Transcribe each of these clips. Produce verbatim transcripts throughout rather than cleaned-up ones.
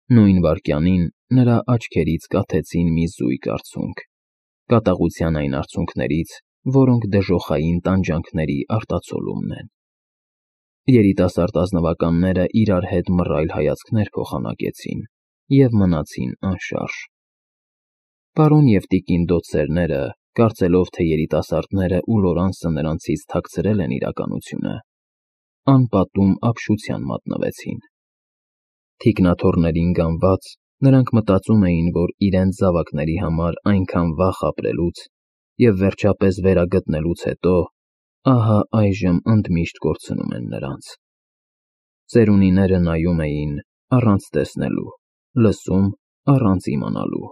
Նույն վայրկյանին նրա աչքերից կաթեցին մի զույգ արցունք, կատաղության այն արցունքներից, որոնք դժոխային տանջանքների արտացոլումն են։ Երիտասարդ ազնվականները իրար հետ մռայլ հայացքներ փոխանակեցին և մնացին անշարժ։ Պարոն և տիկին դոցերները, կարծելով, թե երիտասարդները ու Լորանսը նրանցից թաքցրել են իրականությունը, անպատում ապշության մատնվեցին։ Թիկնաթոռներին գանված՝ նրանք մտածում էին, որ իրենց զավակների համար այնքան վախ ապրելուց և վերջապես վերագտնելուց հետո ահա այժմ ընդմիշտ կորցնում են նրանց։ Ծերունիները նայում էին առանց տեսնելու, լսում առանց իմանալու։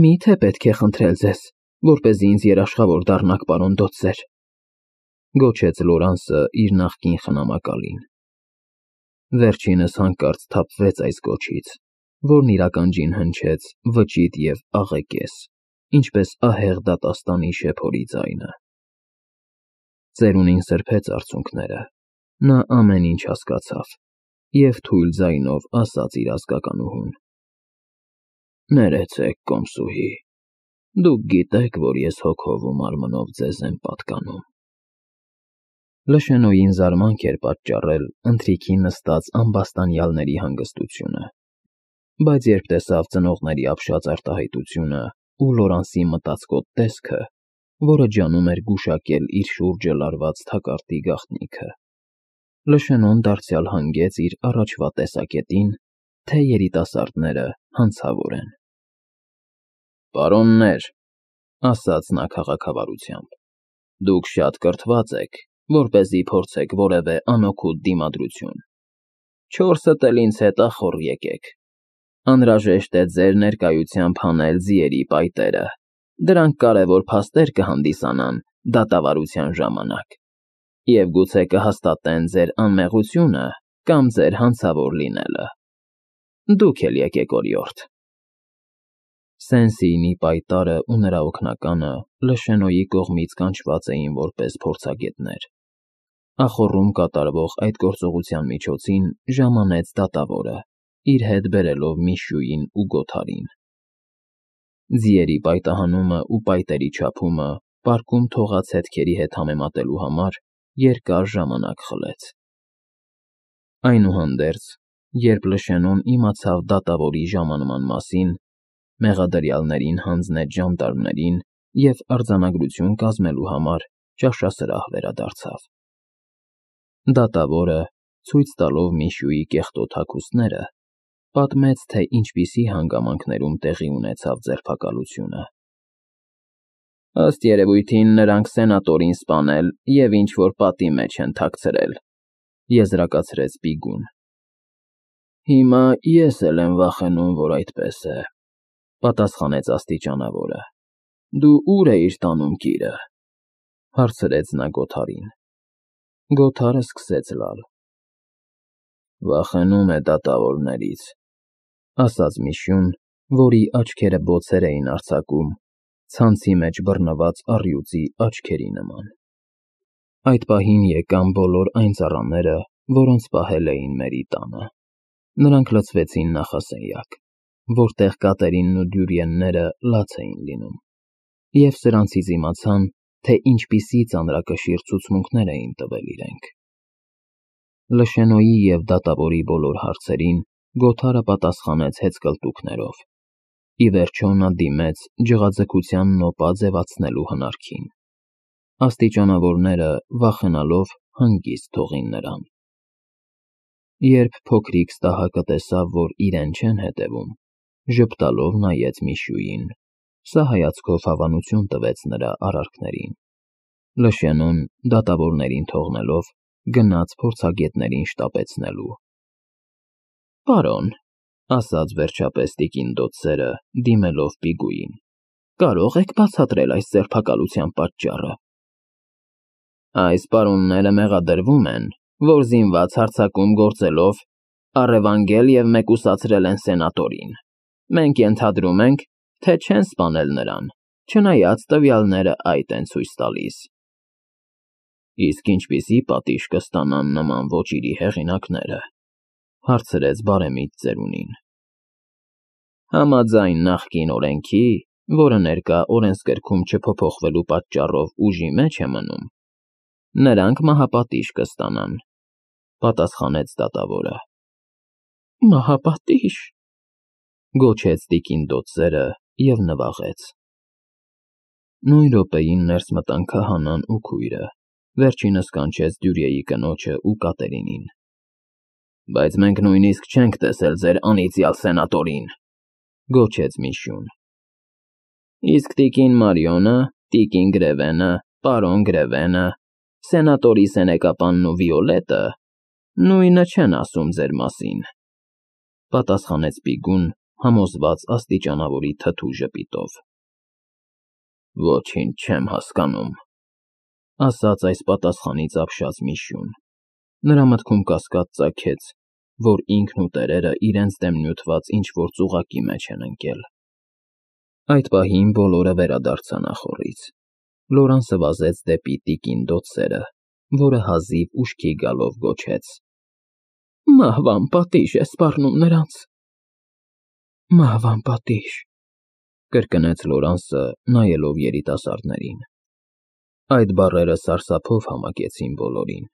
Մի՞թե պետք է խնդրել ձեզ, որպեսզի ինձ երաշխավոր դառնաք, պարոն դոցեր, գոչեց Լորանսը իր նախկին խնամակալին։ Վերջինս հանկարծ սթափվեց այս կոչից, որն իր ականջին հնչեց վճիտ և աղեկես, ինչպես ահեղ դատաստանի շեփորի ձայնը։ Ծերունին սրբեց արցունքները, նա ամեն ինչ հասկացավ և թույլ ձայնով ասաց իր ազգականուհուն. Ներեցեք, կոմսուհի, դուք գիտեք, որ ես հոգով ու մարմնով ձեզ եմ պատկանում։ Լշենոյին զարմանք էր պատճառել ընթրիքի նստած ամբաստանյալների հանգստությունը, բայց երբ տեսավ ծնողների ապշած արտահայտությունը ու Լորանսի մտածկոտ տեսքը, որը ջանում էր գուշակել իր շուրջը լարված թակարդի գաղտնիքը, Լշենոն դարձյալ հանգեց իր առաջվա տեսակետին, թե երիտասարդները հանցավոր են։ Պարոններ, ասաց նա քաղաքավարությամբ, դուք շատ կրթված եք, որպեսզի փորձեք որևէ անօգուտ դիմադրություն։ Չորսդ էլ ինձ հետ ախոռ եկեք։ Անհրաժեշտ է ձեր ներկայությամբ հանել ձիերի պայտերը, դրանք կարևոր փաստեր կհանդիսանան դատավարության ժամանակ և գուցե կհաստատեն ձեր անմեղությունը կամ ձեր հանցավոր լինելը։ Դուք էլ եկեք օրիորդ։ Սեն-Սիյնի պայտարն ու նրա օգնականը Լշենոյի կողմից կանչված էին որպես փորձագետներ։ Ախոռում կատարվող այդ գործողության միջոցին ժամանեց դատավորը, իր հետ բերելով Միշուին ու Գոթարին։ Ձիերի պայտահանումը ու պայտերի չափումը պարկում թողած հետքերի հետ համեմատելու համար երկար ժամանակ խլեց։ Այնուհանդերձ, երբ Լշենոն իմացավ դատավորի ժամանման մասին, մեղադրյալներին հանձնեց ժանդարմներին և արձանագրություն կազմելու համար ճաշասրահ վերադարձավ։ Դատավորը, ցույց տալով Միշուի կեղտոտ հագուստները, պատմեց, թե ինչպիսի հանգամանքներում տեղի ունեցավ ձերբակալությունը։ Ըստ երևույթին նրանք սենատորին սպանել և ինչ֊որ պատի մեջ են թաքցրել, եզրակացրեց Բիգուն։ Հիմա ես էլ եմ վախենում, որ այդպես է, պատասխանեց աստիճանավորը։ Դու ո՞ւր էիր տանում կիրը, հարցրեց նա Գոթարին։ Գոթարը սկսեց լալ։ Վախենում է դատավորներից, ասաց Միշուն, որի աչքերը բոցեր էին արձակում, ցանցի մեջ բռնված առյուծի աչքերի նման։ Այդ պահին եկան բոլոր այն ծառաները, որոնց պահել էին Մերի տանը։ Նրանք լցվեցին նախասենյակ, որտեղ Կատերինն ու Դյուրիենները լաց էին լինում, և սրանցից իմացան, թե ինչպիսի ծանրակշիռ ցուցմունքներ էին տվել իրենք։ Լշենոյի և դատավորի բոլոր հարցերին Գոթարը պատասխանեց հեծկլտուքներով։ Ի վերջո նա դիմեց ջղաձգության նոպա ձևացնելու հնարքին։ Աստիճանավորները, վախենալով, հանգիստ թողին նրան։ Երբ փոքրիկ ստահակը տեսավ, որ իրեն չեն հետևում, ժպտալով նայեց Միշուին, սա հայացքով հավանություն տվեց նրա արարքներին։ Լշենոն, դատավորներին թողնելով, գնաց փորձագետներին շտապեցնելու։ Պարոն, ասաց վերջապես տիկին դոցերը, դիմելով Բիգուին, կարո՞ղ եք բացատրել այս ձերբակալության պատճառը։ Այս պարոնները մեղադրվում են, որ զինված հարձակում գործելով առևանգել և մեկուսացրել են սենատորին։ Մենք ենթադրում ենք, թե չեն սպանել նրան, չնայած տվյալները այդ են ցույց տալիս։ Իսկ ինչպիսի պատիժ կստանան նման ոճիրի հեղինակները։ Հարցրեց բարեմիտ ծերունին։ Համաձայն նախկին օրենքի, որը ներկա օրենսգրքում չփոփոխվելու պատճառով ուժի մեջ է մնում, նրանք մահապատիժ կստանան, պատասխանեց դատավորը։ Մահապատիժ, գոչեց տիկին դոծերը և նվաղեց։ Նույն րոպեին ներս մտան քահանան ու քույրը, վերջինս կանչեց Դյուրիեի կնոջը ու Կատերինին։ Բայց մենք նույնիսկ չենք տեսել ձեր անիծյալ սենատորին, գոչեց Միշյուն։ Իսկ տիկին Մարիոնը, տիկին Գրևենը, պարոն Գրևենը, սենատորի սենեկապանն ու Վիոլետը նույնը չեն ասում ձեր մասին, պատասխանեց Բիգուն, համոզված աստիճանավորի թթու ժպիտով։ Ոչինչ չեմ հասկանում, ասաց այս պատասխանից ապշած Միշյուն։ Նրա մտքում կասկած ծագեց, որ ինքն ու տերերը իրենց դեմ նյութված ինչ-որ ծուղակի մեջ են ընկել։ Այդ պահին բոլորը վերադարձան ախոռից։ Լորանսը վազեց դեպի տիկին դոծերը, որը հազիվ ուշքի գալով գոչեց. Մահվան պատիժ է սպառնում նրանց։ Մահվան պատիժ, կրկնեց Լորանսը, նայելով երիտասարդներին։ Այդ բառերը սարսափով համակեցին բոլորին,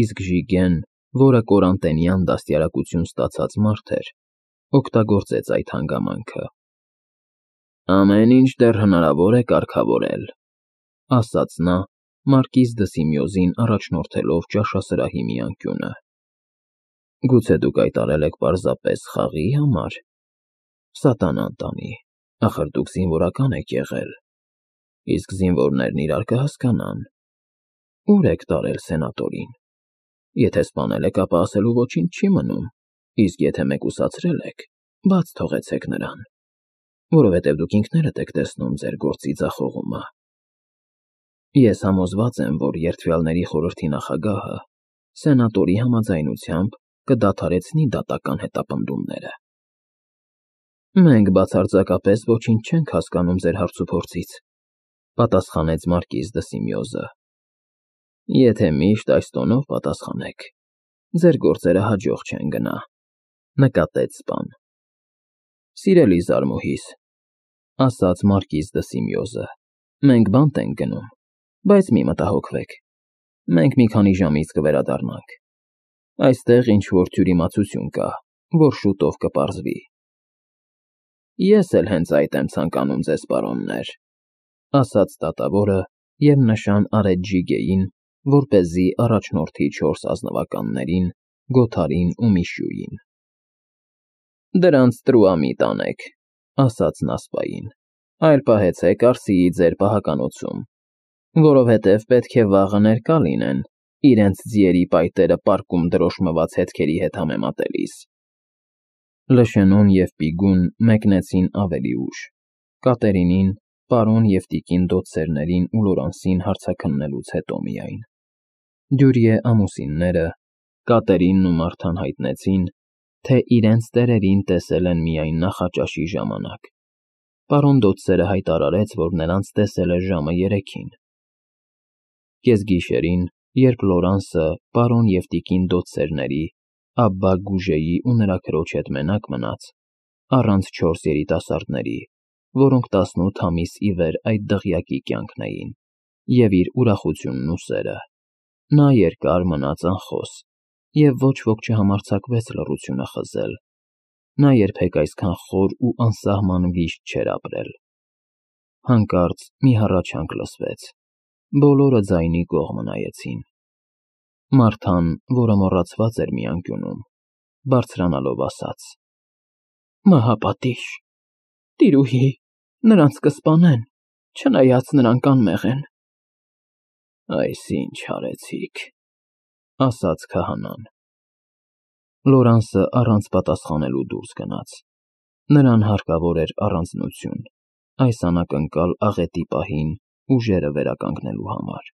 իսկ Ժիգեն, որը կորանտենյան դաստիարակություն ստացած մարդ էր, օգտագործեց այդ հանգամանքը։ Ամեն ինչ դեռ հնարավոր է կարգավորել, ասաց նա, մարկիզ դը Սիմեոզին առաջնորդելով ճաշասրահի մի անկյունը։ Գուցե դուք այդ արել եք պարզապես խաղի համար։ Սատանան տանի, ախր դուք զինվորական եք եղել, իսկ զինվորներն իրար կհասկանան։ Ուր եք տարել սենատորին։ Եթե սպանել եք, ապա ասելու ոչինչ չի մնում, իսկ եթե մեկուսացրել եք, բաց թողեցեք նրան, որովհետև դուք ինքներդ եք տեսնում ձեր գործի ձախողումը։ Ես համոզված եմ, որ երդվյալների խորհրդի նախագահը սենատորի համաձայնությամբ կդադարեցնի դատական հետապնդումները։ Մենք բացարձակապես ոչինչ չենք հասկանում ձեր հարցուփորձից, պատասխանեց մարկիզ դը Սիմեոզը։ Եթե միշտ այս տոնով պատասխանեք, ձեր գործերը հաջող չեն գնա, նկատեց սպան։ Սիրելի զարմուհիս, ասաց մարկիզ դը Սիմեոզը, մենք բանտ ենք գնում, բայց մի մտահոգվեք, մենք մի քանի ժամից կվերադառնանք։ Այստեղ ինչ-որ թյուրիմացություն կա, որ շուտով կպարզվի։ Ես էլ հենց այդ եմ ցանկանում ձեզ, պարոններ, ասաց դատավորը և նշան արեց Ժիգեին, որպեսզի առաջնորդի չորս ազնվականներին, Գոթարին ու Միշյուին։ Դրանց տրուամիտ անեք, ասաց նա սպային, այլ պահեցեք Արսիի ձեր պահականոցում, որովհետև պետք է վաղը ներկա լինեն, իրենց ձիերի պայտերը պարկում դրոշմված հետքերի հետ համեմատելիս։ Լշենոն և Պիգուն մեկնեցին ավելի ուշ, Կատերինին, պարոն և տիկին դոցերներին ու Լորանսին հարցաքննելուց հետո միայն։ Դյուրիե ամուսինները, Կատերինն ու Մարթան հայտնեցին, թե իրենց տերերին տեսել են միայն նախաճաշի ժամանակ։ Պարոն դոցերը հայտարարեց, որ նրանց տեսել է ժամը երեքին։ Կեսգիշերին, երբ Լորանսը, պարոն և տիկին դոցերների, Աբբա Գուժեի ու նրա քրոջ հետ մենակ մնաց, առանց չորս երիտասարդների, որոնք տասնութ ամիս ի վեր այդ դղյակի կյանքն էին, և իր ուրախությունն ու սերը, նա երկար մնաց անխոս, և ոչ ոք չհամարձակվեց լռությունը խզել, նա երբեք այսքան խոր ու անսահման վիշտ չէր ապրել։ Հանկարծ մի հառաչանք լսվեց, բոլորը ձայնի կողմը նայեցին։ Մարթան, որը մոռացված էր մի անկյունում, բարձրանալով ասաց. Մահապատիժ, տիրուհի, նրանց կսպանեն, չնայած նրանք անմեղ են։ Այս ինչ արեցիք, ասաց քահանան։ Լորանսը առանց պատասխանելու դուրս գնաց։ Նրան հարկավոր էր առանձնություն, այս անակնկալ աղետի պահին ուժերը վերականգնելու համար։